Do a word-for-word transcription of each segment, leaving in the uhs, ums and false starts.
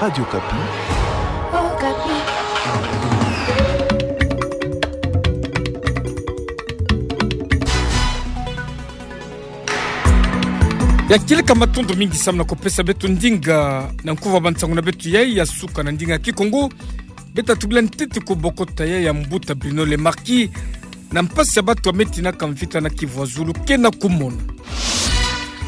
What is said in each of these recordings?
Radio Okapi. Ya kieleka, matondo mingi samu na kupesa beto ndinga na nkuva bansangu na beto yai ya suka na ndinga Kikongo. Beta tubila ntete ku bokota yai ya mbuta Bruno Le Marquis na mpasi ya bato ya me tinaka mvita na Kivu ya Zulu ke na kumona.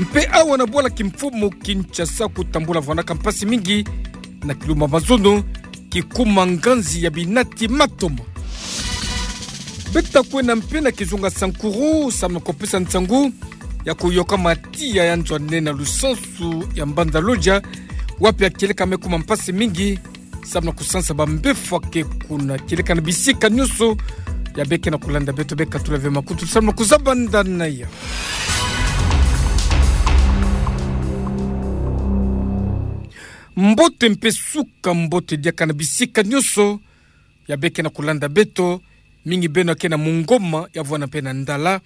Mpe awa na bwala kimfumu Kinshasa kutambula vwanaka mpasi mingi na kilumbu ya mazono, kikuma nganzi ya binati matoma. Beta kwenda mpe na kizunga Sankuru samu na kupesa nsangu ya kuyoka matiya ya nzwanina lusansu ya mbanza Lodja, wapi ya kieleka me kuma mpasi mingi samu na kusansa bambefwa ke kuna kieleka na bisika nyonso. Ya beke na kulanda beto, beka tula ve makutu samu na kuzaba ndana ya mbote mpe suka mbote diaka na bisika nyonso. Ya beke na kulanda beto, mingi beno ya ke na Mungoma, ya vwanda mpe na Ndala,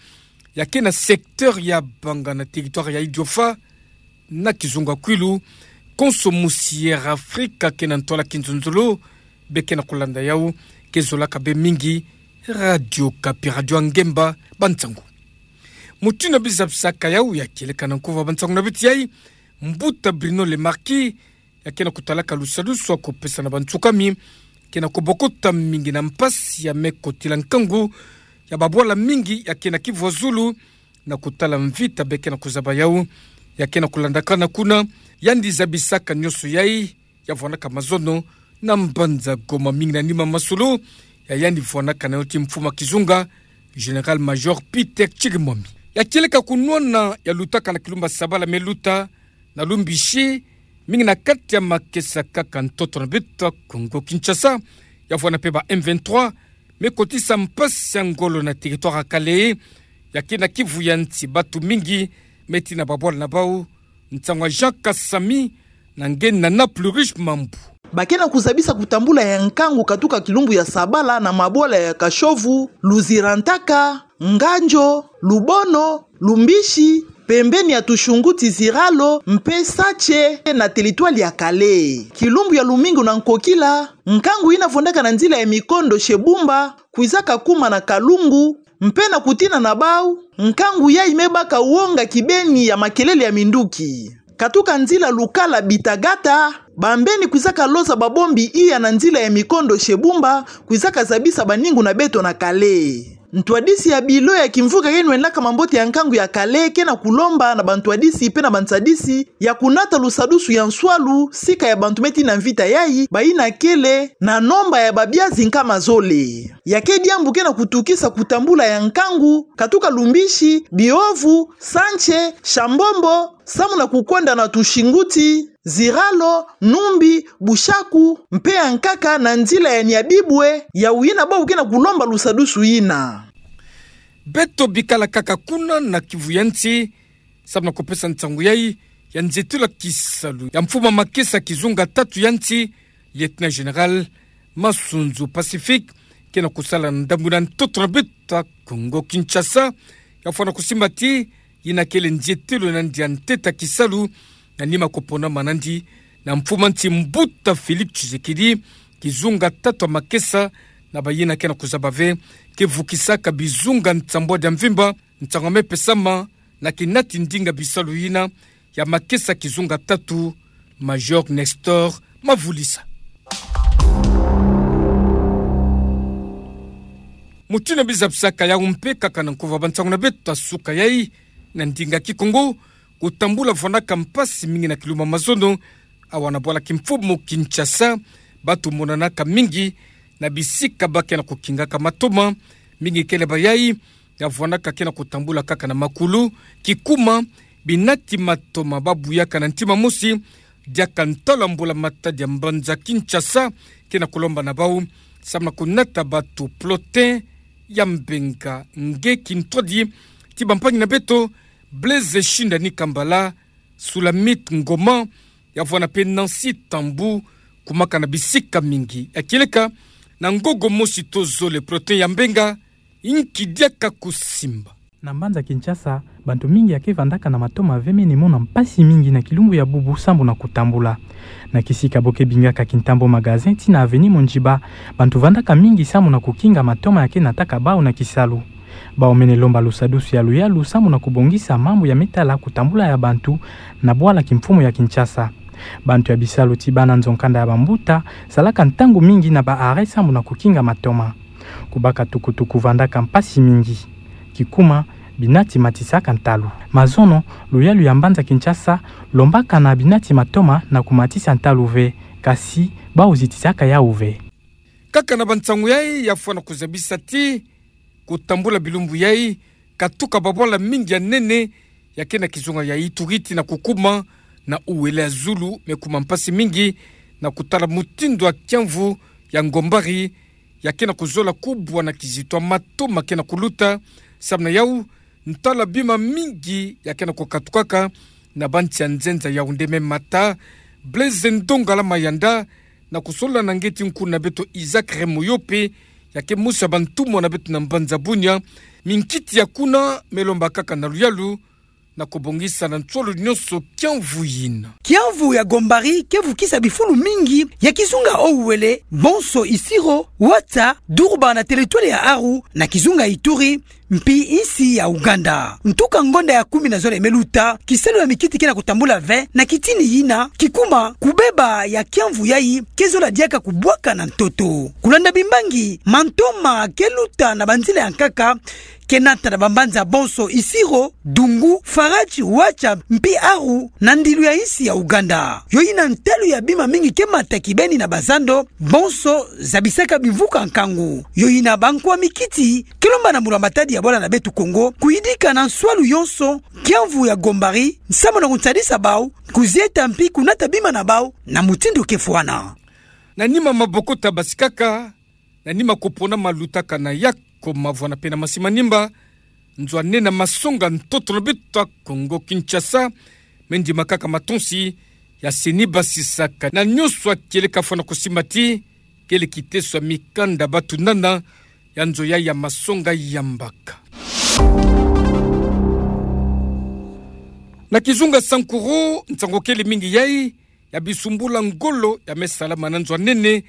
ya ke na secteur ya Banga na territoire ya Idiofa, na kizunga Kwilu, konso musi Air Afrika ke na ntwala kinzonzolo, beke na kulanda yau, ke zolaka be mingi Radio Okapi, radio ya ngemba, bansangu. Mutindu na bizabisaka yau, ya kieleka na nkuva bansangu na beto yai, mbuta Bruno Le Marquis, ya ke na kutalaka lusadusu ya kupesa na bansukami, ke na kubokota mingi na mpasi ya me kotila nkangu ya babwala mingi ya ke na Kivu ya Zulu, na kutala mvita beke na kuzaba yau, ya ke na kulandakana kuna, yandi zabisaka nyonso yai, ya vwanaka mazono na mbanza Goma, mingi na nima masolo ya yandi vwanaka na yo ti mfumu ya kizunga, Général-Major Peter Chirimwami. Ya kieleka kunwana ya lutaka na kilumbu ya sabala me luta, na Lumbishi, mingi na kati ya makesa kaka ntoto na beto Kongo Kinshasa, ya vwanda mpe ba M vingt-trois me kotisa mpasi ya ngolo na territoire ya Kalehe, ya ke na Kivu ya nsi, bato mingi me tina babwala na bau. Nsangu ya Jean Kasami na nge na Naples Riche Mambu. Ba ke na kuzabisa kutambula ya nkangu katuka kilumbu ya sabala na mabwala ya Kashovu, Luzirantaka, Nganjo, Lubono, Lumbishi, pembeni ya tushunguti Ziralo mpe Sache na territoire ya Kalehe. Kilumbu ya lumingu na nkokila, nkangu yina vwandaka na nzila ya mikondo chez Bumba kwizaka kuma na Kalungu, mpe na kutina na bau, nkangu yai me baka wonga kibeni ya makelele ya minduki. Katuka nzila Lukala Bitagata, bambeni kwizaka loza babombi iya na nzila ya mikondo chez Bumba, kwizaka zabisa baningu na beto na Kalehe. Ntwadisi ya bilo ya kimvuka yeno enaka mambote ya nkangu ya Kalehe ke na kulomba na bantwadisi mpe na bansadisi ya kunata lusadusu ya nswalu sika ya bantu me tina mvita yai, bayina kele na nomba ya babiazi nkama zole. Ya ke diambu ke na kutukisa kutambula ya nkangu katuka Lumbishi, Biovu, Sanche, Shambombo, samu na kukwenda na tushunguti Ziralo, Numbi, Bushaku, mpe ya nkaka na nzila ya Nyabibwe, ya wina bau ke na kulomba lusadusu yina. Beto bikala kaka kuna na Kivu ya nsi, samu na kupesa nsangu yai ya nzietelo ya kisalu ya mfumu ya makesa kizunga tatu ya nsi, Lieutenant-Général Masunzu Pacifique, ke na kusala na ndambu na ntoto na beto Kongo Kinshasa, ya fwana kusimba ti yina kele nzietelo na ndia ntete ya kisalu, na nima kuponama na nandi na mfumu ya nsi mbuta Félix Tshisekedi, kizunga tatu ya makesa, na bayina ke na kuzaba ve ke vukisaka bizunga nsambwadi ya mvimba, nsangu ya me pesama na kinati ndinga bisalu yina ya makesa kizunga tatu, Major Nestor Mavulisa. Mutindu na bizabisaka yau mpe kaka na nkuva bansangu na beto ya suka yai, na ndinga Kikongo, kutambula vwanaka mpasi mingi na kilumbu ya mazono, awa na bwala kimfumu Kinshasa, bato monanaka mingi na bisika ba ke na kukingaka matoma, mingi kele bayai ya vwanaka ke na kutambula kaka na makulu, kikuma, binati matoma, ba buyaka na ntima mosi, diaka ntalo ya mbula-matadi ya mbanza Kinshasa, ke na kulomba na bau samu na kunata bato. Plotin Yambenga, nge kintwadi ti bampangi na beto, Blaise Shindani Kambala, Sulamite Ngoma, ya vwana mpe Nancy Tambou, kumaka na bisika mingi. Ya kieleka, na ngogo mosi to zole, Plotin Yambenga, inki diaka kusimba? Na mbanza Kinshasa, bantu mingi ya ke vandaka na matoma ve mene mona mpasi mingi na kilumbu ya bubu sambu na kutambula. Na kisika bo ke bingaka Kintambo Magasin tii na avenue Mondjiba, bantu vandaka mingi sambu na kukinga matoma ya ke nataka bau na kisalu. Bau mene lomba lusadusu ya luyalu sambu na kubongisa mambu ya me tala kutambula ya bantu na bwala kimfumu ya Kinshasa. Bantu ya bisalu tii bana nzo-nkanda ya bambuta salaka ntangu mingi na ba arrêt sambu na kukinga matoma. Kubaka tukutuku vandaka mpasi mingi. Kikuma, bina tii matisaka ntalu. Mazono, luyalu ya mbanza Kinshasa lombaka na bina tii matoma na kumatisa ntalu ve, kasi bau zitisaka yau ve. Kaka na bansangu yai ya fwana kuzabisa ti kutambula bilumbu yai, katuka babwala mingi ya nene ya ke na kizunga ya Ituri tii na kukuma na Uele ya zulu, me kuma mpasi mingi na kutala mutindu ya kiamvu ya Gombari ya ke na kuzola kubwa na kizito ya matoma ke na kuluta. Samu na yau, ntalu ya bima mingi ya ke na kukatukaka na bansi ya nzenza Yaoundé. Me mata Blaise Ndongala Mayanda na kusolola na ngeti-nkulu na beto Isaac Remoyope, ya ke mosi ya bantumwa na beto na mbanza Bunia. Minkiti ya kuna me lomba kaka na luyalu na kubongisa na nsolo nyonso kiamvu yina. Kiamvu ya Gombari ke vukisa bifulu mingi ya kizunga Uele, bonso Isiro, Ouattara, Dourba na territoire ya Aru, na kizunga Ituri, mpi insi ya Ouganda. Ntuka ngonda ya kumi na zole me luta, kisalu ya mikiti ke na kutambula ve na kitini yina. Kikuma, kubeba ya kiamvu yai ke zola diaka kubwaka na ntoto. Kulanda bimbangi, mantoma ke luta na banzila ya nkaka, ke nata na bambanza bonso Isiro, Dungu, Faradje, Ouattara, mpi Aru, na ndilu ya insi ya Ouganda. Yo yina ntalu ya bima mingi ke mata kibeni na bazando, bonso zabisaka bimvuka nkangu. Yo yina bankwa mikiti ke lomba na mulu ya matadi ya bwala na beto Kongo kuyidika na nswalu yonso kiamvu ya Gombari, samu na kunsadisa bau kuzieta mpi kunata bima na bau na mutindu ke fwana. Na nima maboko tabasikaka, na nima kupona malutaka na yako mavwanda pe na masi manimba, nzo ya nene ya masonga ntoto na beto ya Kongo Kinshasa me ndima kaka matonsi ya seni basisaka na nyonso ya kieleka fwana kusimba ti kele kiteso ya mikanda batunana ya nzo yai ya masonga ya mbaka. Na kizunga Sankuru, nsangu kele mingi yai ya bisumbula ngolo ya me salama na nzo ya nene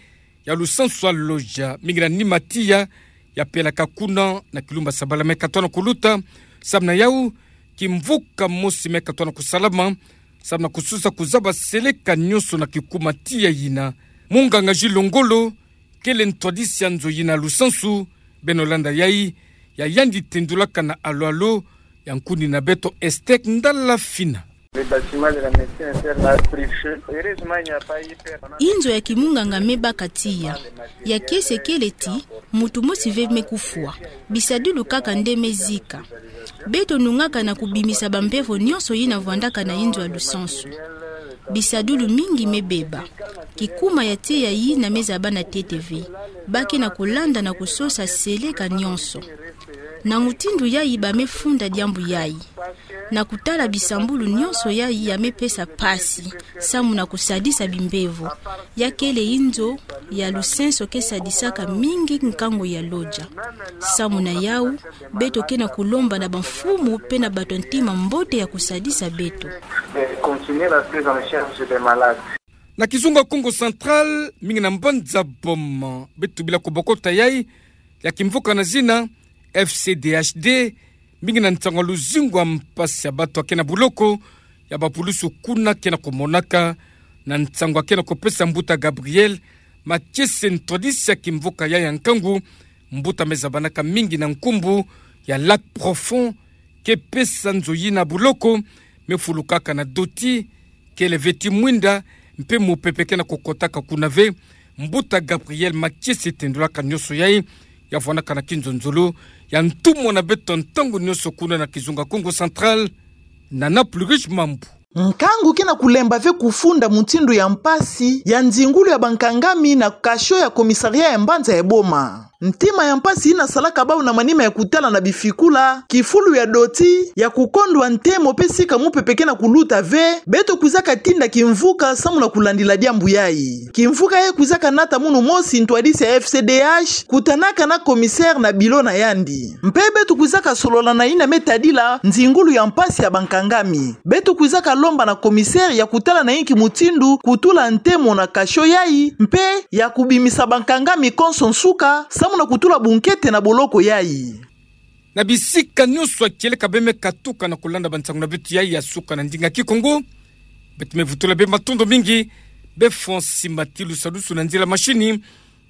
ya lusansu ya Lodja, mingi na nima tiya ya pelaka kuna na kilumbu ya sabala me katoa na kuluta. Samu na yau, kimvuka mosi me katoa na kusalama samu na kusosa kuzaba seleka nyonso na kikuma tiya yina. Munganga Gilles Longolo kele ntwadisi ya nzo yina ya lusansu. Beno landa yai, ya yandi tendulaka na alo-alo ya nkuni na beto Estec Ndala Fina. Le bâtiment de la médecine interne a pris feu. Heureusement, il n'y a pas eu peur. Inzo ya kimunganga me baka tiya ya kiese kele ti mutu mosi ve me kufwa. Bisadilu kaka nde me zika. Beto nungaka na kubimisa bambevo nyonso yina vwandaka na inzo ya lusansu. Bisadilu mingi me beba. Kikuma ya tiya yina me zaba na ntete ve. Ba ke na kulanda na kusosa seleka nyonso. Na mutindu yai ba me funda diambu yai. Na kutala bisambulu nyonso yai ya me pesa mpasi samu na kusadisa bimbevo. Ya kele inzo ya lusansu ke sadisaka mingi nkangu ya Lodja. Samu na yau, beto ke na kulomba na bamfumu pe na bato ya ntima mbote ya kusadisa beto. De continuer la prise en charge des malades. Na kizunga Kongo Central, mingi na mbanza Boma, beto bila kubokota yai ya kimvuka na zina F C D H D, mingi na nsangu ya luzingu ya mpasi ya bato ya ke na buloko ya bapulusu kuna ke na kumonaka. Na nsangu ya ke na kupesa mbuta Gabriel Makiese, ntwadisi ya kimvuka yai ya nkangu, mbuta me zabanaka mingi na nkumbu ya Lac Profond, ke pesa nzo yina buloko, me fulukaka na doti, kele ve ti mwinda, mpe mupepe ke na kukotaka kuna ve. Mbuta Gabriel Makiese tendulaka nyonso yai, ya vwandaka na kinzonzolo ya ntumwa na beto ntangu nyonso kuna na kizunga Kongo Central, Nana Plurish Mambu. Nkangu ke na kulemba ve kufunda mutindu ya mpasi ya nzingulu ya bankangami na kasho ya commissariat ya mbanza ya Boma. Ntima ya mpasi ina salaka bau na manima ya kutala na bifikula, kifulu ya doti, ya kukondwa ntemo pe sika mupepe ke na kuluta ve, beto kwizaka tinda kimvuka samu na kulandila diambu yai. Kimvuka yai kwizaka nata munu mosi ntwadisi ya F C D H, kutanaka na commissaire na bilo na yandi. Mpe beto kwizaka solola na ina me tadila nzingulu ya mpasi ya bankangami. Beto kwizaka lomba na commissaire ya kutala na inki mutindu kutula ntemo na cachot yai, mpe ya kubimisa bankangami konso nsuka, samu na kutula bunkete na boloko yai. Na bisika nyonso ya kieleka be me katuka na kulanda bansangu na beto yai ya suka na ndinga Kikongo, beto me vutula bê matondo mingi bê Francis Matilu Salusu na nzila mashini,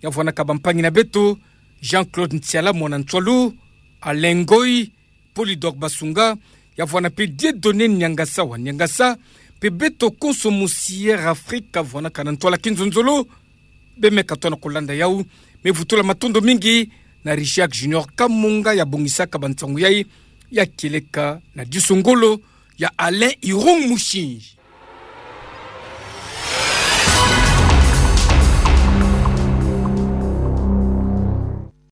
ya vwanaka bampangi na beto, Jean-Claude Ntiala mwana Ntswalu, Alain Ngoyi, Polydor Basunga, ya vwana mpe Dieudonné Niangasa wa Niangasa, mpe beto konso mosi Air Afrique vwanaka na ntwala kinzonzolo, bê me katoa na kulanda yau, me vutula matondo mingi na Richard Junior Kamunga ya bongisaka bansangu yai, ya kieleka na diso ngolo ya Alain Irung Mushinji.